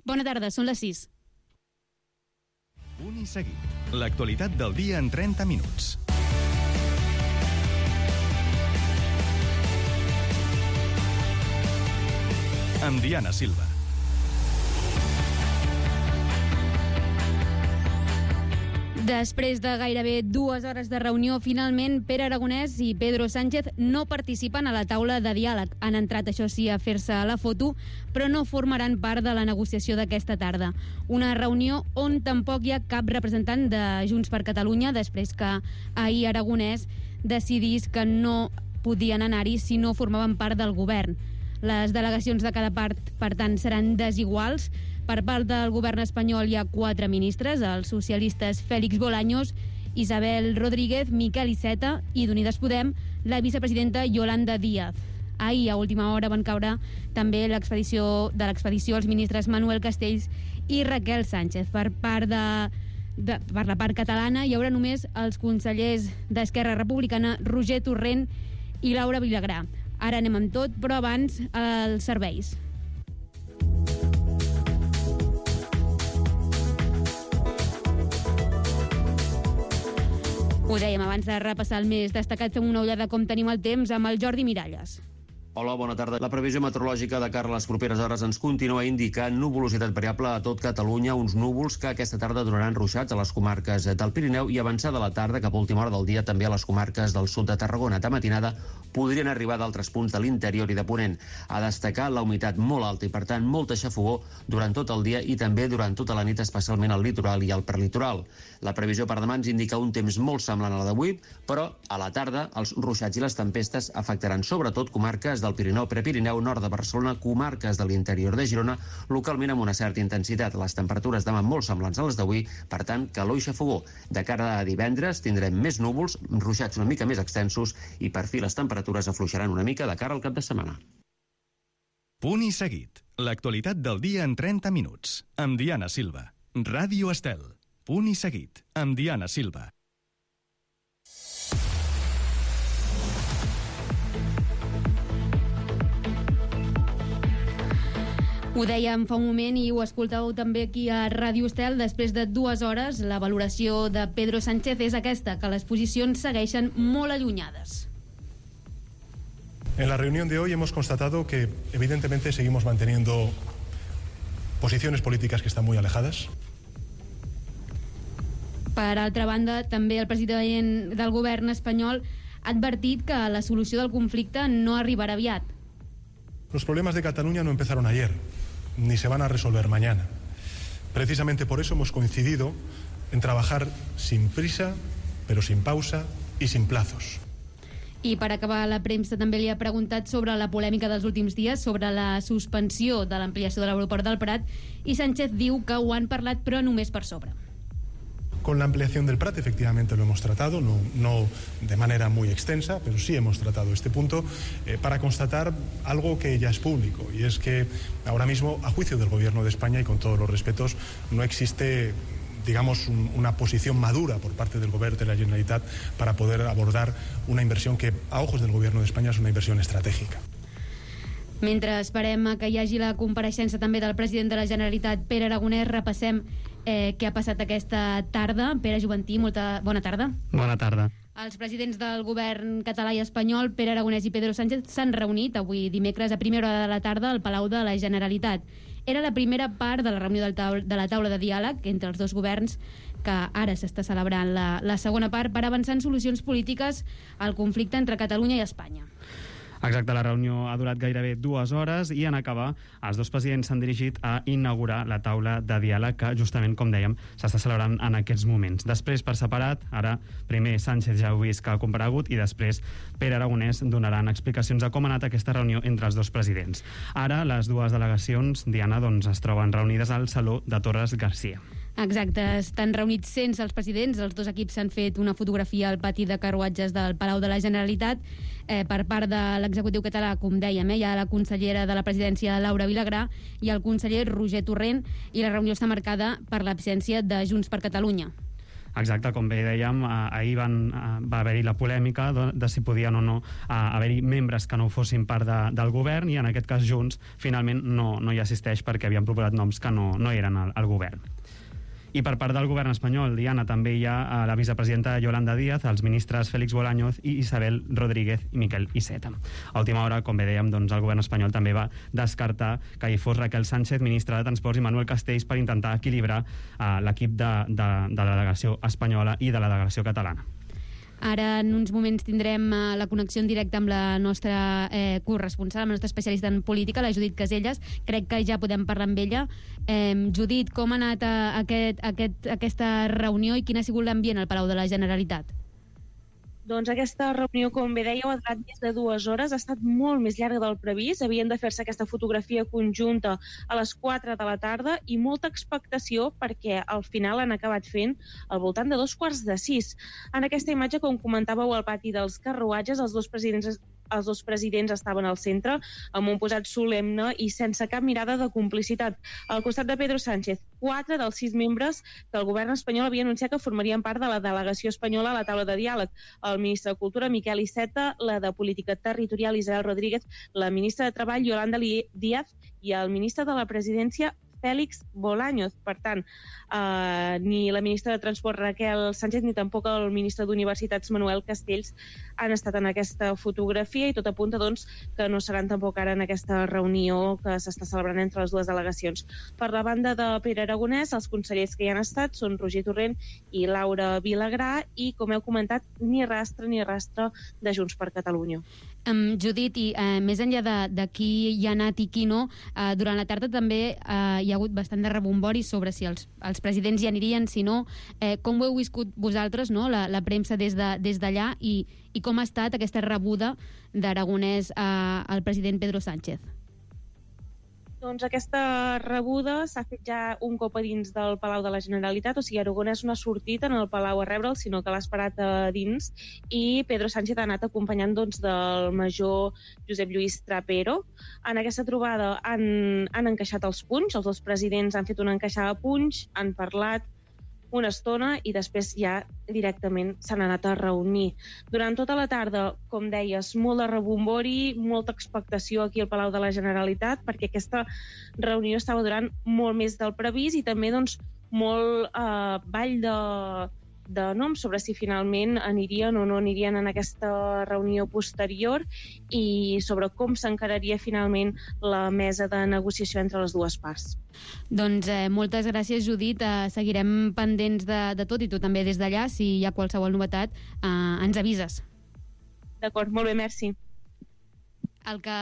Bona tarda, són les 6. Punt i seguit. L'actualitat del dia en 30 minuts. Amb Diana Silva. Després de gairebé 2 hores de reunió, finalment Pere Aragonès i Pedro Sánchez no participen a la taula de diàleg. Han entrat, això sí, a fer-se la foto, però no formaran part de la negociació d'aquesta tarda. Una reunió on tampoc hi ha cap representant de Junts per Catalunya, després que ahir Aragonès decidís que no podien anar-hi si no formaven part del govern. Les delegacions de cada part, per tant, seran desiguals. Per part del govern espanyol hi ha 4 ministres, els socialistes Félix Bolaños, Isabel Rodríguez, Miquel Iceta i d'Unides Podem, la vicepresidenta Yolanda Díaz. Ahir, a última hora, van caure també de l'expedició els ministres Manuel Castells i Raquel Sánchez. Per la part catalana hi haurà només els consellers d'Esquerra Republicana Roger Torrent i Laura Vilagrà. Ara anem amb tot, però abans els serveis. Ho dèiem, abans de repassar el més destacat, fem una ullada com tenim el temps amb el Jordi Miralles. Hola, bona tarda. La previsió meteorològica de cara a les properes hores ens continua indicant nuvolositat variable a tot Catalunya, uns núvols que aquesta tarda donaran ruixats a les comarques del Pirineu i avançada la tarda cap a última hora del dia també a les comarques del sud de Tarragona. De matinada podrien arribar d'altres punts de l'interior i de Ponent. A destacar la humitat molt alta i, per tant, molta xafogor durant tot el dia i també durant tota la nit, especialment al litoral i al prelitoral. La previsió per demà ens indica un temps molt semblant a la d'avui, però a la tarda els ruixats i les tempestes afectaran sobretot comarques del Pirineu, Prepirineu, nord de Barcelona, comarques de l'interior de Girona, localment amb una certa intensitat. Les temperatures demà molt semblants a les d'avui, per tant, calor i xafogor. De cara a divendres tindrem més núvols, ruixats una mica més extensos i per fi les temperatures afluixaran una mica de cara al cap de setmana. Punt i seguit. L'actualitat del dia en 30 minuts. Amb Diana Silva. Ràdio Estel. Punt i seguit. Amb Diana Silva. Ho dèiem fa un moment i ho escoltàveu també aquí a Ràdio Estel. Després de 2 hores, la valoració de Pedro Sánchez és aquesta, que les posicions segueixen molt allunyades. En la reunión de hoy hemos constatado que evidentemente seguimos manteniendo posiciones políticas que están muy alejadas. Per altra banda, també el president del govern espanyol ha advertit que la solució del conflicte no arribarà aviat. Los problemas de Cataluña no empezaron ayer, ni se van a resolver mañana. Precisamente por eso hemos coincidido en trabajar sin prisa, pero sin pausa y sin plazos. I per acabar, la premsa també li ha preguntat sobre la polèmica dels últims dies, sobre la suspensió de l'ampliació de l'aeroport del Prat, i Sánchez diu que ho han parlat però només per sobre. Con la ampliación del Prat efectivamente lo hemos tratado, no de manera muy extensa, pero sí hemos tratado este punto para constatar algo que ya es público, y es que ahora mismo, a juicio del Gobierno de España y con todos los respetos, no existe, digamos, una posición madura por parte del Gobierno de la Generalitat para poder abordar una inversión que, a ojos del Gobierno de España, es una inversión estratégica. Mentre esperem que hi hagi la compareixença també del president de la Generalitat, Pere Aragonès, repassem què ha passat aquesta tarda. Pere Juventí, bona tarda. Bona tarda. Els presidents del govern català i espanyol, Pere Aragonès i Pedro Sánchez, s'han reunit avui dimecres a primera hora de la tarda al Palau de la Generalitat. Era la primera part de la reunió de la taula de diàleg entre els dos governs, que ara s'està celebrant la segona part per avançar en solucions polítiques al conflicte entre Catalunya i Espanya. Exacte, la reunió ha durat gairebé 2 hores i en acabar els dos presidents s'han dirigit a inaugurar la taula de diàleg que justament, com dèiem, s'està celebrant en aquests moments. Després, per separat, ara primer Sánchez ja heu vist que ha comparegut i després Pere Aragonès donaran explicacions de com ha anat aquesta reunió entre els dos presidents. Ara les dues delegacions, Diana, es troben reunides al Saló de Torres Garcia. Exacte, estan reunits sense els presidents. Els dos equips s'han fet una fotografia al pati de carruatges del Palau de la Generalitat. Per part de l'executiu català, com dèiem, hi ha la consellera de la presidència, Laura Vilagrà, i el conseller Roger Torrent, i la reunió està marcada per l'absència de Junts per Catalunya. Exacte, com bé dèiem, ahir va haver-hi la polèmica de si podien o no haver-hi membres que no fossin part del govern, i en aquest cas Junts finalment no hi assisteix perquè havien proposat noms que no eren al govern. I per part del govern espanyol, Diana, també hi ha la vicepresidenta Yolanda Díaz, els ministres Félix Bolaños i Isabel Rodríguez i Miquel Iceta. A última hora, com bé dèiem, doncs, el govern espanyol també va descartar que hi fos Raquel Sánchez, ministra de Transports, i Manuel Castells, per intentar equilibrar l'equip de la delegació espanyola i de la delegació catalana. Ara, en uns moments, tindrem la connexió en directe amb la nostra corresponsal, amb la nostra especialista en política, la Judit Caselles. Crec que ja podem parlar amb ella. Judit, com ha anat aquesta reunió i quin ha sigut l'ambient al Palau de la Generalitat? Doncs aquesta reunió, com bé dèieu, ha durat més de 2 hores, ha estat molt més llarga del previst. Havien de fer-se aquesta fotografia conjunta a les 4 de la tarda i molta expectació perquè al final han acabat fent al voltant de 5:15. En aquesta imatge, com comentàveu, al pati dels carruatges, els dos presidents estaven al centre, amb un posat solemne i sense cap mirada de complicitat. Al costat de Pedro Sánchez, 4 dels 6 membres que el govern espanyol havia anunciat que formarien part de la delegació espanyola a la taula de diàleg. El ministre de Cultura, Miquel Iceta, la de Política Territorial, Isabel Rodríguez, la ministra de Treball, Yolanda Díaz, i el ministre de la Presidència, Félix Bolaños. Per tant, ni la ministra de Transport, Raquel Sánchez, ni tampoc el ministre d'Universitats, Manuel Castells, han estat en aquesta fotografia, i tot apunta, doncs, que no seran tampoc ara en aquesta reunió que s'està celebrant entre les dues delegacions. Per la banda de Pere Aragonès, els consellers que hi han estat són Roger Torrent i Laura Vilagrà, i, com heu comentat, ni rastre de Junts per Catalunya. Judit, i més enllà de qui hi ha anat i qui no, durant la tarda també hi ha hagut bastant de rebombori sobre si els presidents hi anirien, si no. Com ho heu viscut vosaltres, no? la premsa des d'allà, i com ha estat aquesta rebuda d'Aragonès al president Pedro Sánchez? Doncs aquesta rebuda s'ha fet ja un cop a dins del Palau de la Generalitat, o sigui, Aragonès no ha sortit en el Palau a rebre'l, sinó que l'ha esperat a dins, i Pedro Sánchez ha anat acompanyant, doncs, del major Josep Lluís Trapero. En aquesta trobada han encaixat els punys, els dos presidents han fet una encaixada de punys, han parlat una estona i després ja directament s'han anat a reunir. Durant tota la tarda, com deies, molt de rebombori, molta expectació aquí al Palau de la Generalitat, perquè aquesta reunió estava durant molt més del previst, i també, doncs, molt ball de noms sobre si finalment anirien o no anirien en aquesta reunió posterior, i sobre com s'encararia finalment la mesa de negociació entre les dues parts. Doncs moltes gràcies, Judit. Seguirem pendents de tot, i tu també des d'allà. Si hi ha qualsevol novetat, ens avises. D'acord, molt bé, merci. El que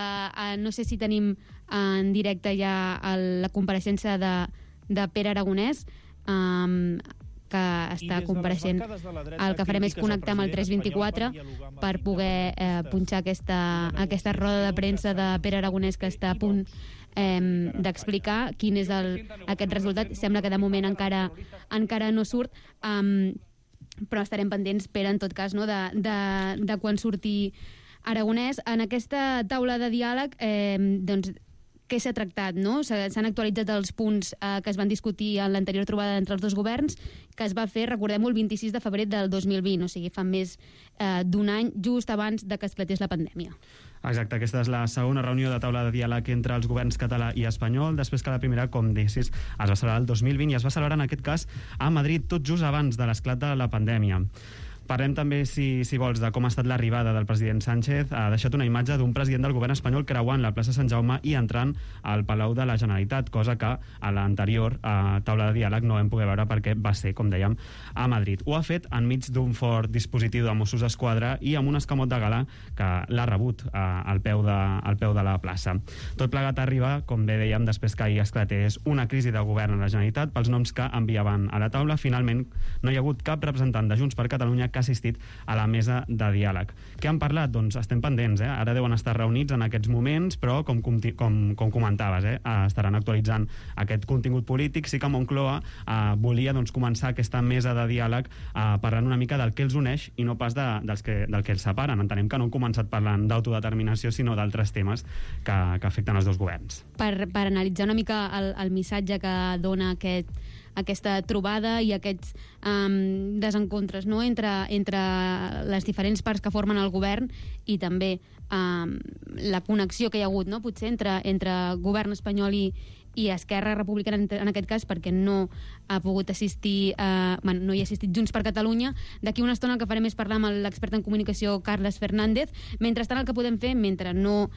no sé si tenim en directe ja la compareixença de Pere Aragonès, que està compareixent. El que farem és connectar amb el 324 per poder punxar aquesta roda de premsa de Pere Aragonès, que està a punt d'explicar quin és aquest resultat. Sembla que de moment encara no surt, però estarem pendents, Pere, en tot cas, no, de quan surti Aragonès. En aquesta taula de diàleg, doncs, què s'ha tractat, no? S'han actualitzat els punts que es van discutir en l'anterior trobada entre els dos governs, que es va fer, recordem-ho, el 26 de febrer del 2020, o sigui, fa més d'un any, just abans de que esclatés la pandèmia. Exacte, aquesta és la segona reunió de taula de diàleg entre els governs català i espanyol, després que la primera, com deies, es va celebrar el 2020 i es va celebrar, en aquest cas, a Madrid, tot just abans de l'esclat de la pandèmia. Parlem també, si vols, de com ha estat l'arribada del president Sánchez. Ha deixat una imatge d'un president del govern espanyol creuant la plaça Sant Jaume i entrant al Palau de la Generalitat, cosa que a l'anterior taula de diàleg no vam poder veure perquè va ser, com dèiem, a Madrid. Ho ha fet enmig d'un fort dispositiu de Mossos d'Esquadra i amb un escamot de gala que l'ha rebut al peu de la plaça. Tot plegat arriba, com bé dèiem, després que ahir esclatés una crisi de govern a la Generalitat pels noms que enviaven a la taula. Finalment, no hi ha hagut cap representant de Junts per Catalunya que ha assistit a la mesa de diàleg. Què han parlat? Doncs estem pendents, Ara deuen estar reunits en aquests moments, però com comentaves, estaran actualitzant aquest contingut polític. Sí que Moncloa volia començar aquesta mesa de diàleg parlant una mica del que els uneix i no pas del que els separen. Entenem que no han començat parlant d'autodeterminació, sinó d'altres temes que afecten els dos governs. Per analitzar una mica el missatge que dona aquesta trobada i aquests desencontres, no?, entre les diferents parts que formen el govern i també la connexió que hi ha hagut, no?, potser entre govern espanyol i Esquerra Republicana en aquest cas, perquè no ha pogut assistir, no hi ha assistit Junts per Catalunya. D'aquí una estona el que farem és parlar amb l'expert en comunicació Carles Fernández. Mentrestant, el que podem fer, mentre no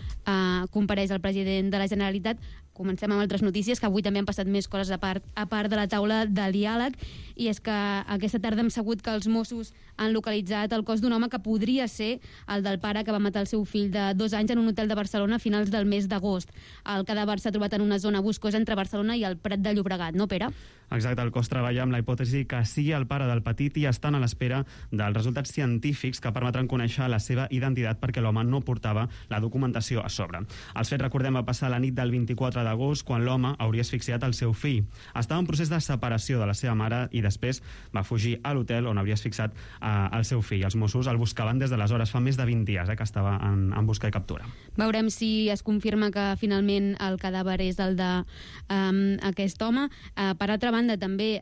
compareix el president de la Generalitat, comencem amb altres notícies, que avui també han passat més coses a part de la taula de diàleg, i és que aquesta tarda hem sabut que els Mossos han localitzat el cos d'un home que podria ser el del pare que va matar el seu fill de 2 anys en un hotel de Barcelona a finals del mes d'agost. El cadàver s'ha trobat en una zona boscosa entre Barcelona i el Prat de Llobregat, no, Pere? Exacte, el cos treballa amb la hipòtesi que sigui el pare del petit i estan a l'espera dels resultats científics que permetran conèixer la seva identitat perquè l'home no portava la documentació a sobre. Els fets, recordem, va passar la nit del 24 d'agost quan l'home hauria asfixiat el seu fill. Estava en procés de separació de la seva mare i després va fugir a l'hotel on hauria asfixiat el seu fill. Els Mossos el buscaven des d'aleshores, fa més de 20 dies que estava en busca i captura. Veurem si es confirma que finalment el cadàver és el d'aquest home. Per altra banda, també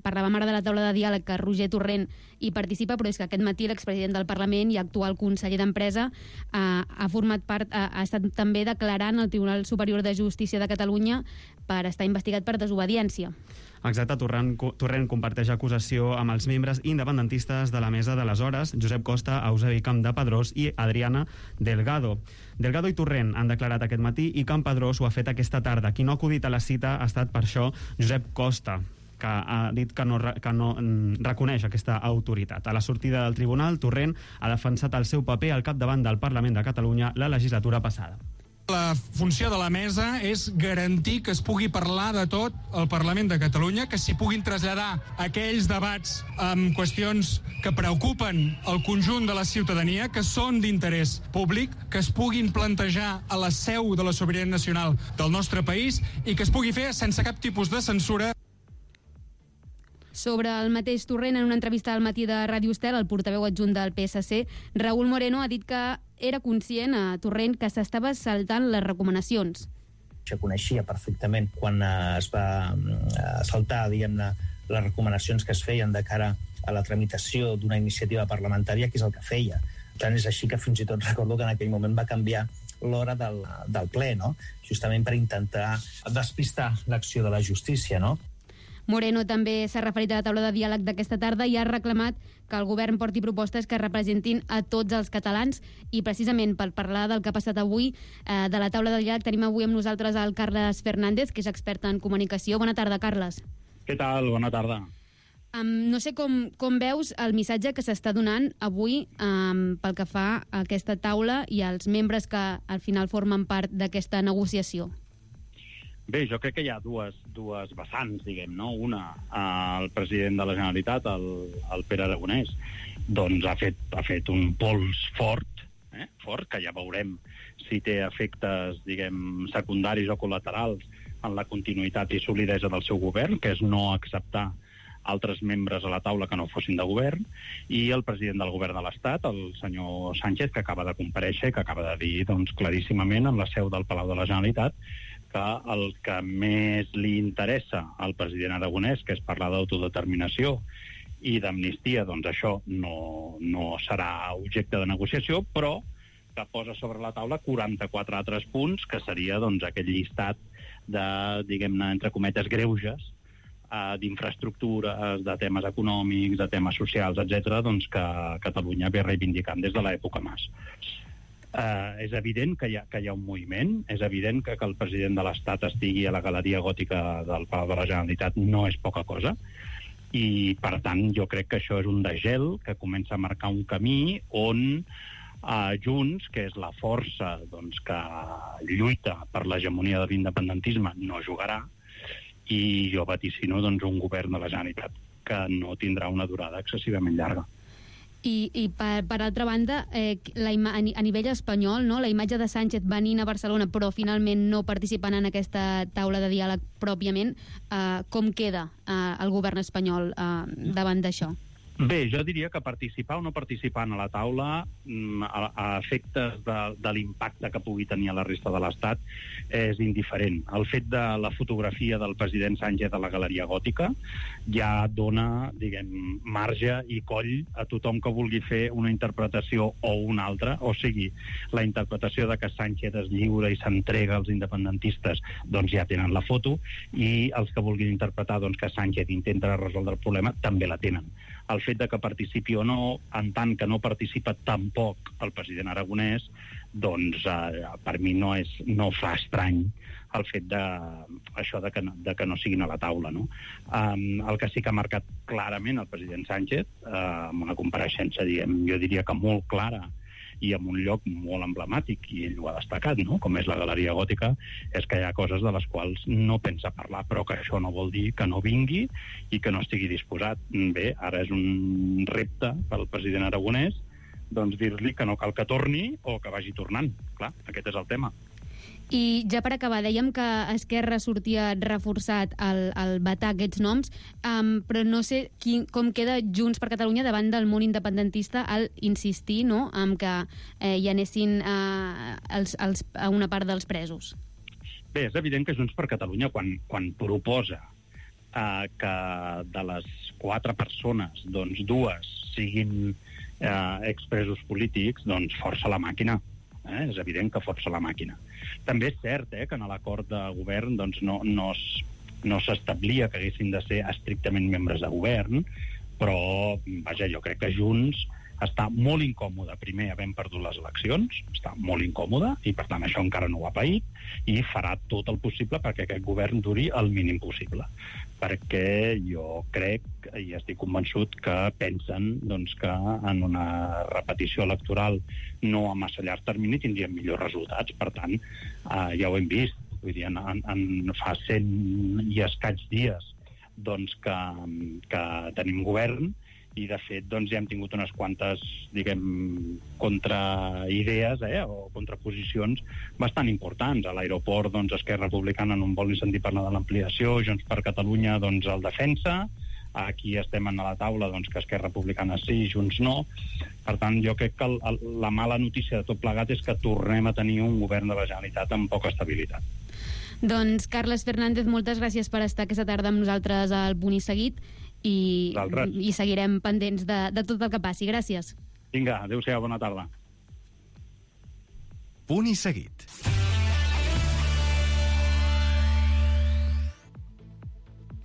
parlàvem ara de la taula de diàleg que Roger Torrent hi participa, però és que aquest matí l'expresident del Parlament i actual conseller d'Empresa ha format part, ha estat també declarant al Tribunal Superior de Justícia de Catalunya per estar investigat per desobediència. Exacte, Torrent comparteix acusació amb els membres independentistes de la mesa d'aleshores, Josep Costa, Eusebi Campdepadrós i Adriana Delgado. Delgado i Torrent han declarat aquest matí i Campdevànol ho ha fet aquesta tarda. Qui no ha acudit a la cita ha estat per això Josep Costa, que ha dit que no reconeix aquesta autoritat. A la sortida del tribunal, Torrent ha defensat el seu paper al capdavant del Parlament de Catalunya la legislatura passada. La funció de la mesa és garantir que es pugui parlar de tot al Parlament de Catalunya, que s'hi puguin traslladar aquells debats amb qüestions que preocupen el conjunt de la ciutadania, que són d'interès públic, que es puguin plantejar a la seu de la sobirania nacional del nostre país i que es pugui fer sense cap tipus de censura. Sobre el mateix Torrent, en una entrevista al matí de Ràdio Estel, el portaveu adjunt del PSC, Raúl Moreno, ha dit que era conscient a Torrent que s'estava saltant les recomanacions. Se coneixia perfectament quan es va saltar, diguem-ne, les recomanacions que es feien de cara a la tramitació d'una iniciativa parlamentària, que és el que feia. Tant és així que fins i tot recordo que en aquell moment va canviar l'hora del ple, no? Justament per intentar despistar l'acció de la justícia, no? Moreno també s'ha referit a la taula de diàleg d'aquesta tarda i ha reclamat que el govern porti propostes que representin a tots els catalans, i precisament per parlar del que ha passat avui de la taula de diàleg tenim avui amb nosaltres el Carles Fernández, que és expert en comunicació. Bona tarda, Carles. Què tal? Bona tarda. No sé com veus el missatge que s'està donant avui pel que fa a aquesta taula i als membres que al final formen part d'aquesta negociació. Bé, jo crec que hi ha dues vessants, diguem, no? Una, el president de la Generalitat, el Pere Aragonès, doncs ha fet un pols fort, que ja veurem si té efectes, diguem, secundaris o col·laterals en la continuïtat i solidesa del seu govern, que és no acceptar altres membres a la taula que no fossin de govern, i el president del govern de l'Estat, el senyor Sánchez, que acaba de comparèixer, que acaba de dir doncs, claríssimament en la seu del Palau de la Generalitat que el que més li interessa al president aragonès, que és parlar d'autodeterminació i d'amnistia, doncs això no serà objecte de negociació, però que posa sobre la taula 44 altres punts, que seria doncs, aquell llistat de, diguem-ne, entre cometes, greuges, d'infraestructures, de temes econòmics, de temes socials, etc., doncs que Catalunya ve reivindicant des de l'època Mas. És evident que hi ha un moviment, és evident que el president de l'Estat estigui a la galeria gòtica del Palau de la Generalitat no és poca cosa, i per tant jo crec que això és un degel que comença a marcar un camí on Junts, que és la força doncs, que lluita per l'hegemonia de l'independentisme, no jugarà, i jo vaticino doncs, un govern de la Generalitat que no tindrà una durada excessivament llarga. I per altra banda, a nivell espanyol, no? La imatge de Sánchez venint a Barcelona però finalment no participant en aquesta taula de diàleg pròpiament, com queda el govern espanyol davant d'això? Bé, jo diria que participar o no participar a la taula, a efectes de l'impacte que pugui tenir a la resta de l'Estat, és indiferent. El fet de la fotografia del president Sánchez a la Galeria Gòtica ja dona, diguem, marge i coll a tothom que vulgui fer una interpretació o una altra, o sigui, la interpretació de que Sánchez es lliura i s'entrega als independentistes, doncs ja tenen la foto, i els que vulguin interpretar doncs, que Sánchez intenta resoldre el problema també la tenen. El fet de que participi o no, en tant que no participa tampoc el president aragonès, doncs per mi no fa estrany el fet de que no siguin a la taula, no? El que sí que ha marcat clarament el president Sánchez, amb una compareixença, jo diria que molt clara, i en un lloc molt emblemàtic, i ell ho ha destacat, no? Com és la Galeria Gòtica, és que hi ha coses de les quals no pensa parlar, però que això no vol dir que no vingui i que no estigui disposat. Bé, ara és un repte pel president aragonès, doncs dir-li que no cal que torni o que vagi tornant. Clar, aquest és el tema. I ja per acabar, dèiem que Esquerra sortia reforçat al vetar aquests noms, però no sé com queda Junts per Catalunya davant del món independentista al insistir, no?, en que hi anessin a una part dels presos. Bé, és evident que Junts per Catalunya, quan proposa que de les 4 persones, doncs 2 siguin expresos polítics, doncs força la màquina. És evident que força la màquina. També és cert que en l'acord de govern doncs, no s'establia que haguessin de ser estrictament membres de govern, però vaja, jo crec que Junts està molt incòmode, primer havent perdut les eleccions, està molt incòmode, i per tant això encara no ho ha paït, i farà tot el possible perquè aquest govern duri el mínim possible. Perquè jo crec, i estic convençut, que pensen doncs, que en una repetició electoral no a massa llarg termini tindrien millors resultats. Per tant, ja ho hem vist, vull dir, en fa 100 i escaig dies doncs, que tenim govern, i de fet doncs, ja hem tingut unes quantes, diguem, contraidees o contraposicions bastant importants. A l'aeroport, doncs, Esquerra Republicana no en vol ni sentir parlar de l'ampliació, Junts per Catalunya doncs, el defensa, aquí estem a la taula doncs, que Esquerra Republicana sí, Junts no. Per tant, jo crec que la mala notícia de tot plegat és que tornem a tenir un govern de la Generalitat amb poca estabilitat. Doncs, Carles Fernández, moltes gràcies per estar aquesta tarda amb nosaltres al Punt i Seguit, i seguirem pendents de tot el que passi. Gràcies. Vinga, adéu-siau, bona tarda. Punt i Seguit.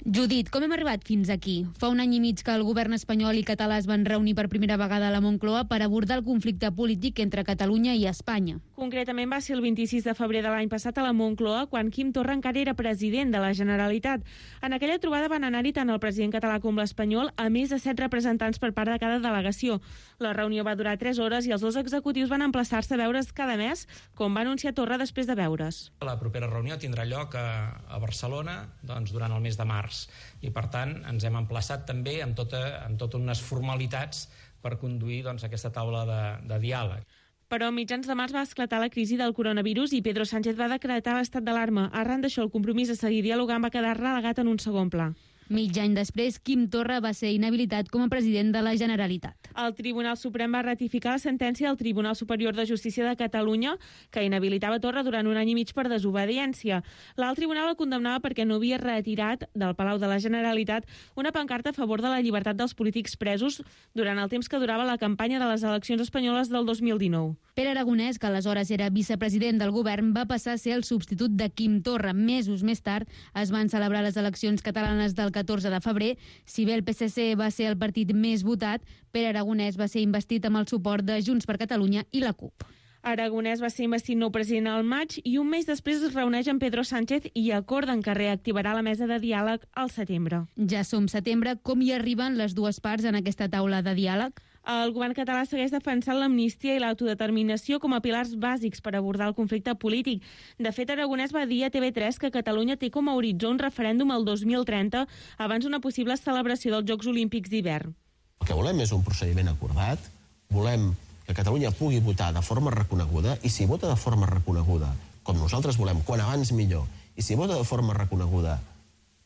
Judit, com hem arribat fins aquí? Fa un any i mig que el govern espanyol i català es van reunir per primera vegada a la Moncloa per abordar el conflicte polític entre Catalunya i Espanya. Concretament va ser el 26 de febrer de l'any passat a la Moncloa, quan Quim Torra encara era president de la Generalitat. En aquella trobada van anar-hi tant el president català com l'espanyol, a més de 7 representants per part de cada delegació. La reunió va durar 3 hores i els 2 executius van emplaçar-se a veure's cada mes, com va anunciar Torra després de veure's. La propera reunió tindrà lloc a Barcelona doncs, durant el mes de març. I per tant ens hem emplaçat també amb totes unes formalitats per conduir doncs, aquesta taula de diàleg. Però a mitjans de març va esclatar la crisi del coronavirus i Pedro Sánchez va decretar l'estat d'alarma. Arran d'això, el compromís de seguir dialogant va quedar relegat en un segon pla. Mig any després, Quim Torra va ser inhabilitat com a president de la Generalitat. El Tribunal Suprem va ratificar la sentència del Tribunal Superior de Justícia de Catalunya, que inhabilitava Torra durant un any i mig per desobediència. L'alt tribunal el condemnava perquè no havia retirat del Palau de la Generalitat una pancarta a favor de la llibertat dels polítics presos durant el temps que durava la campanya de les eleccions espanyoles del 2019. Pere Aragonès, que aleshores era vicepresident del govern, va passar a ser el substitut de Quim Torra. Mesos més tard es van celebrar les eleccions catalanes del 14 de febrer. Si bé el PSC va ser el partit més votat, Pere Aragonès va ser investit amb el suport de Junts per Catalunya i la CUP. Aragonès va ser investit nou president al maig i un mes després es reuneix amb Pedro Sánchez i acorden que reactivarà la mesa de diàleg al setembre. Ja som setembre. Com hi arriben les dues parts en aquesta taula de diàleg? El govern català segueix defensant l'amnistia i l'autodeterminació com a pilars bàsics per abordar el conflicte polític. De fet, Aragonès va dir a TV3 que Catalunya té com a horitzó un referèndum el 2030 abans d'una possible celebració dels Jocs Olímpics d'hivern. El que volem és un procediment acordat, volem que Catalunya pugui votar de forma reconeguda, i si vota de forma reconeguda, com nosaltres volem, quan abans millor, i si vota de forma reconeguda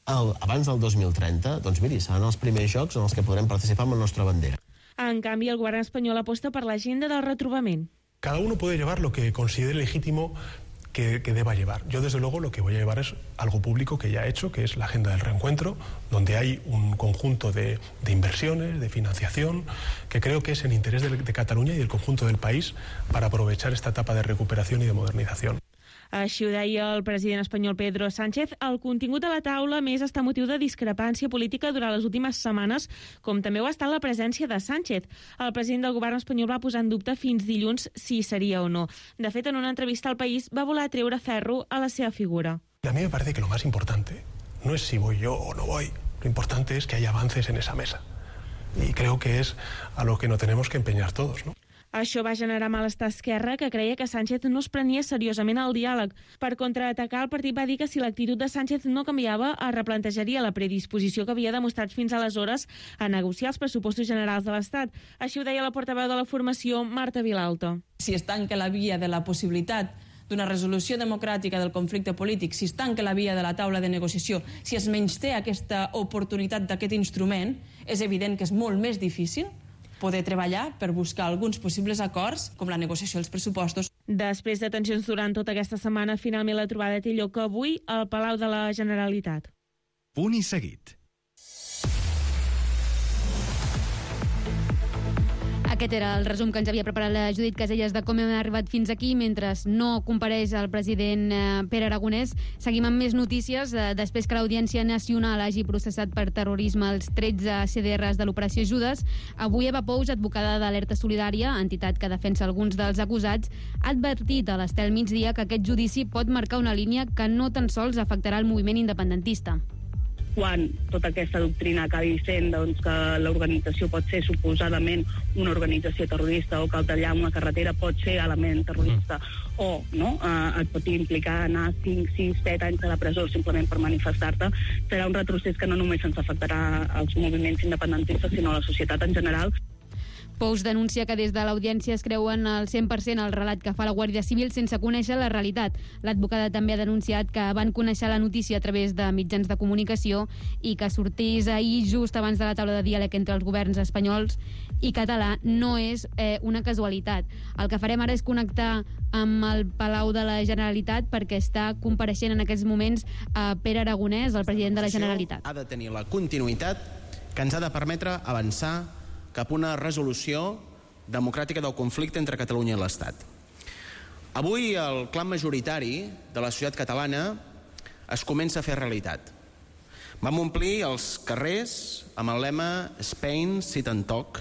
abans del 2030, doncs miri, seran els primers jocs en els que podrem participar amb la nostra bandera. En canvi, el govern espanyol aposta per l'agenda del retrobament. Cada uno puede llevar lo que considere legítimo que deba llevar. Yo, desde luego, lo que voy a llevar es algo público que ya he hecho, que es la agenda del reencuentro, donde hay un conjunto de inversiones, de financiación, que creo que es en interés de Cataluña y del conjunto del país para aprovechar esta etapa de recuperación y de modernización. Així ho deia el president espanyol Pedro Sánchez. El contingut de la taula més està motiu de discrepància política durant les últimes setmanes, com també ho està la presència de Sánchez. El president del govern espanyol va posar en dubte fins dilluns si seria o no. De fet, en una entrevista al País va voler treure ferro a la seva figura. A mí me parece que lo más importante no es si voy yo o no voy. Lo importante es que haya avances en esa mesa. Y creo que es a lo que nos tenemos que empeñar todos, ¿no? Això va generar malestar a Esquerra, que creia que Sánchez no es prenia seriosament el diàleg. Per contraatacar, el partit va dir que si l'actitud de Sánchez no canviava, es replantejaria la predisposició que havia demostrat fins aleshores a negociar els pressupostos generals de l'Estat. Així ho deia la portaveu de la formació, Marta Vilalta. Si es tanca la via de la possibilitat d'una resolució democràtica del conflicte polític, si es tanca la via de la taula de negociació, si es menysté aquesta oportunitat d'aquest instrument, és evident que és molt més difícil poder treballar per buscar alguns possibles acords, com la negociació dels pressupostos. Després de tensions durant tota aquesta setmana, finalment la trobada té lloc avui al Palau de la Generalitat. Punt i seguit. Aquest era el resum que ens havia preparat la Judit Caselles de com hem arribat fins aquí. Mentre no compareix el president Pere Aragonès, seguim amb més notícies. Després que l'Audiència Nacional hagi processat per terrorisme els 13 CDRs de l'Operació Judes, avui Eva Pous, advocada d'Alerta Solidària, entitat que defensa alguns dels acusats, ha advertit a l'Estel Migdia que aquest judici pot marcar una línia que no tan sols afectarà el moviment independentista. Quan tota aquesta doctrina acabi sent que l'organització pot ser suposadament una organització terrorista o que el tallar una carretera pot ser element terrorista o et pot implicar anar 5, 6, 7 anys a la presó simplement per manifestar-te, serà un retrocés que no només ens afectarà als moviments independentistes sinó a la societat en general. Pous denuncia que des de l'Audiència es creuen al 100% el relat que fa la Guàrdia Civil sense conèixer la realitat. L'advocada també ha denunciat que van conèixer la notícia a través de mitjans de comunicació i que sortís ahir just abans de la taula de diàleg entre els governs espanyols i català no és una casualitat. El que farem ara és connectar amb el Palau de la Generalitat perquè està compareixent en aquests moments a Pere Aragonès, el president de la Generalitat. Ha de tenir la continuïtat que ens ha de permetre avançar cap a una resolució democràtica del conflicte entre Catalunya i l'Estat. Avui el clam majoritari de la societat catalana es comença a fer realitat. Vam omplir els carrers amb el lema Spain, Sit and Talk,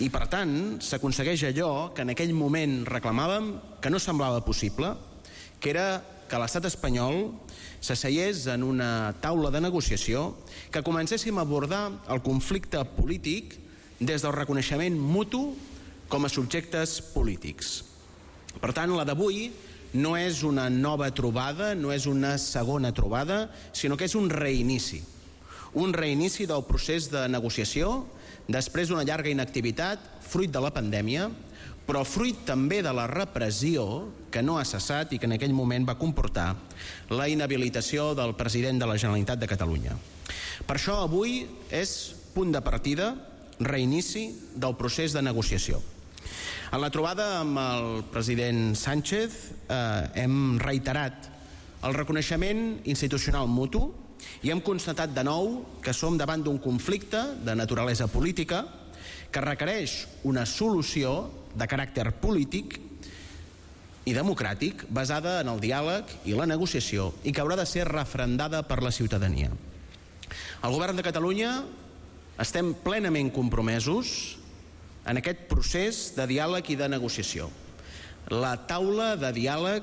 i per tant s'aconsegueix allò que en aquell moment reclamàvem que no semblava possible, que era que l'estat espanyol s'asseiés en una taula de negociació, que comencéssim a abordar el conflicte polític des del reconeixement mutu com a subjectes polítics. Per tant, la d'avui no és una nova trobada, no és una segona trobada, sinó que és un reinici. Un reinici del procés de negociació després d'una llarga inactivitat, fruit de la pandèmia, però fruit també de la repressió que no ha cessat i que en aquell moment va comportar la inhabilitació del president de la Generalitat de Catalunya. Per això avui és punt de partida, reinici del procés de negociació. En la trobada amb el president Sánchez hem reiterat el reconeixement institucional mutu i hem constatat de nou que som davant d'un conflicte de naturalesa política que requereix una solució de caràcter polític i democràtic basada en el diàleg i la negociació i que haurà de ser referendada per la ciutadania. El govern de Catalunya estem plenament compromesos en aquest procés de diàleg i de negociació. La taula de diàleg,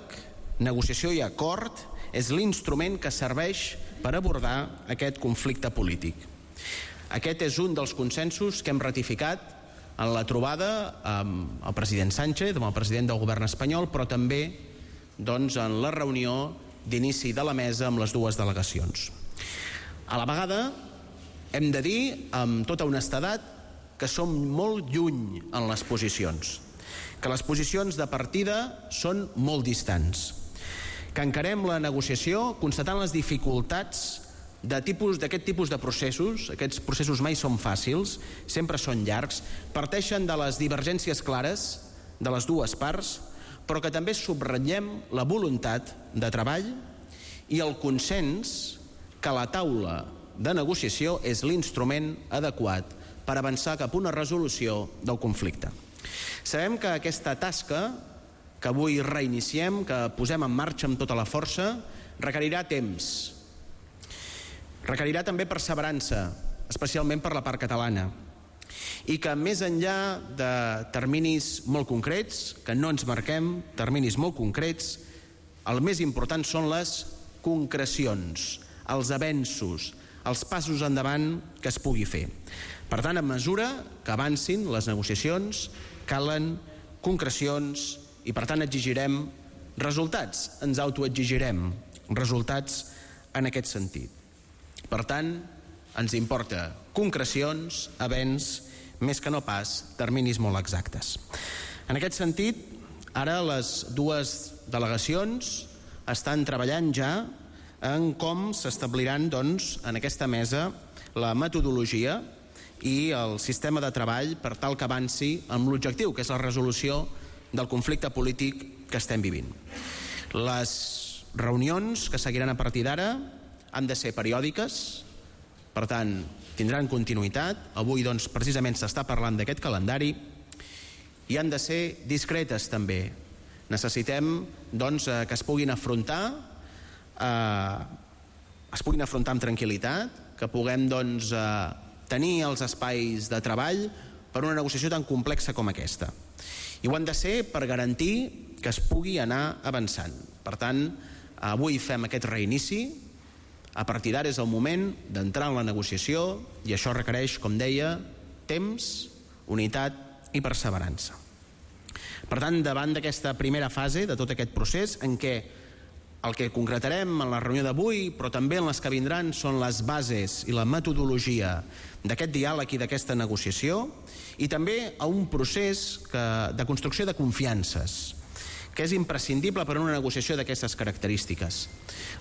negociació i acord és l'instrument que serveix per abordar aquest conflicte polític. Aquest és un dels consensos que hem ratificat en la trobada amb el president Sánchez, amb el president del govern espanyol, però també en la reunió d'inici de la mesa amb les dues delegacions. A la vegada, hem de dir amb tota honestedat que som molt lluny en les posicions, que les posicions de partida són molt distants, que encarem la negociació constatant les dificultats d'aquest tipus de processos, aquests processos mai són fàcils, sempre són llargs, parteixen de les divergències clares de les dues parts, però que també subratllem la voluntat de treball i el consens que la taula de negociació és l'instrument adequat per avançar cap a una resolució del conflicte. Sabem que aquesta tasca que avui reiniciem, que posem en marxa amb tota la força, requerirà temps. Requerirà també perseverança, especialment per la part catalana, i que més enllà de terminis molt concrets, que no ens marquem terminis molt concrets, el més important són les concrecions, els avenços, els passos endavant que es pugui fer. Per tant, a mesura que avancin les negociacions, calen concrecions i, per tant, exigirem resultats, ens autoexigirem resultats en aquest sentit. Per tant, ens importa concrecions, avenç, més que no pas terminis molt exactes. En aquest sentit, ara les dues delegacions estan treballant ja en com s'establiran, doncs, en aquesta mesa la metodologia i el sistema de treball per tal que avanci amb l'objectiu, que és la resolució del conflicte polític que estem vivint. Les reunions que seguiran a partir d'ara han de ser periòdiques, per tant, tindran continuïtat. Avui, doncs, precisament s'està parlant d'aquest calendari i han de ser discretes també. Necessitem, doncs, que es puguin afrontar amb tranquil·litat, que puguem, doncs, tenir els espais de treball per una negociació tan complexa com aquesta. I ho han de ser per garantir que es pugui anar avançant. Per tant, avui fem aquest reinici. A partir d'ara és el moment d'entrar en la negociació i això requereix, com deia, temps, unitat i perseverança. Per tant, davant d'aquesta primera fase de tot aquest procés, en què el que concretarem en la reunió d'avui, però també en les que vindran, són les bases i la metodologia d'aquest diàleg i d'aquesta negociació, i també a un procés de construcció de confiances, que és imprescindible per a una negociació d'aquestes característiques.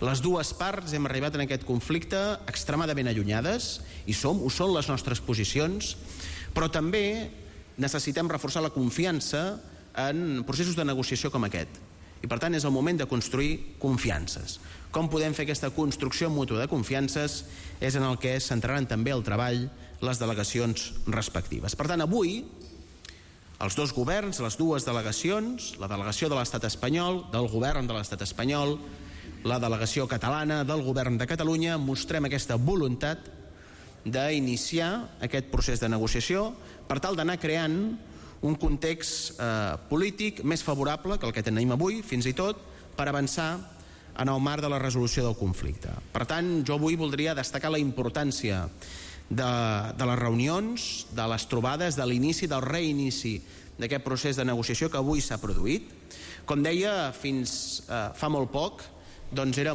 Les dues parts hem arribat en aquest conflicte extremadament allunyades, i ho són les nostres posicions, però també necessitem reforçar la confiança en processos de negociació com aquest. I per tant és el moment de construir confiances. Com podem fer aquesta construcció mútua de confiances és en el que es centraran també el treball les delegacions respectives. Per tant, avui els dos governs, les dues delegacions, la delegació de l'Estat espanyol, del govern de l'Estat espanyol, la delegació catalana del govern de Catalunya, mostrem aquesta voluntat d'iniciar aquest procés de negociació per tal d'anar creant un context polític més favorable que el que tenim avui, fins i tot, per avançar en el marc de la resolució del conflicte. Per tant, jo avui voldria destacar la importància de les reunions, de les trobades, de l'inici, del reinici d'aquest procés de negociació que avui s'ha produït. Com deia, fins fa molt poc, doncs era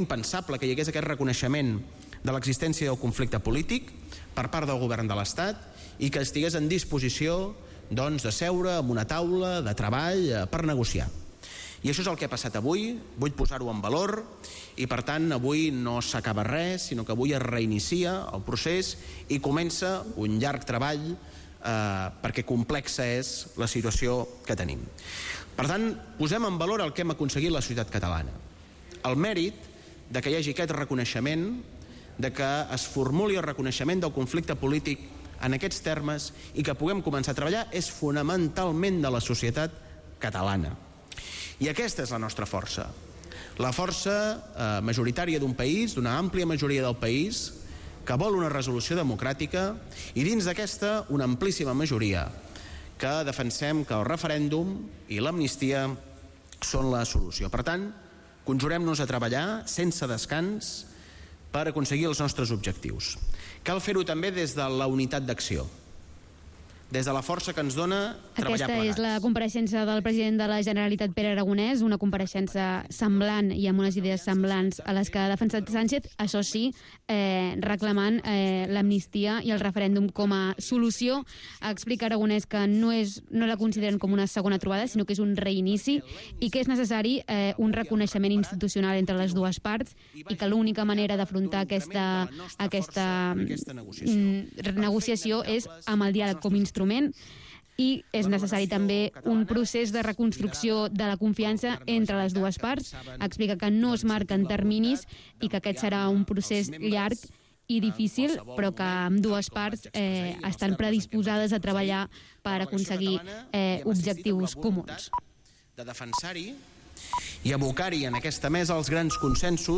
impensable que hi hagués aquest reconeixement de l'existència del conflicte polític per part del govern de l'Estat i que estigués en disposició de seure en una taula de treball per negociar. I això és el que ha passat avui, vull posar-ho en valor, i per tant avui no s'acaba res, sinó que avui es reinicia el procés i comença un llarg treball perquè complexa és la situació que tenim. Per tant, posem en valor el que hem aconseguit la societat catalana. El mèrit de que hi hagi aquest reconeixement, de que es formuli el reconeixement del conflicte polític en aquests termes i que puguem començar a treballar és fonamentalment de la societat catalana. I aquesta és la nostra força. La força majoritària d'un país, d'una àmplia majoria del país, que vol una resolució democràtica i dins d'aquesta una amplíssima majoria que defensem que el referèndum i l'amnistia són la solució. Per tant, conjurem-nos a treballar sense descans per aconseguir els nostres objectius. Cal fer-ho també des de la unitat d'acció. des de la força que ens dona treballar Aquesta plegats. és la compareixença del president de la Generalitat, Pere Aragonès, una compareixença semblant i amb unes idees semblants a les que ha defensat Sánchez, això sí, reclamant l'amnistia i el referèndum com a solució. Explica Aragonès que no la consideren com una segona trobada, sinó que és un reinici i que és necessari un reconeixement institucional entre les dues parts i que l'única manera d'afrontar aquesta negociació és amb el diàleg com a instrument, i és necessari també un procés de reconstrucció de la confiança entre les dues parts. Explica que no es marquen terminis i que aquest serà un procés llarg i difícil, però que ambdues parts estan predisposades a treballar per aconseguir objectius comuns. De defensar-hi i abocar-hi en aquesta mesa els grans consensos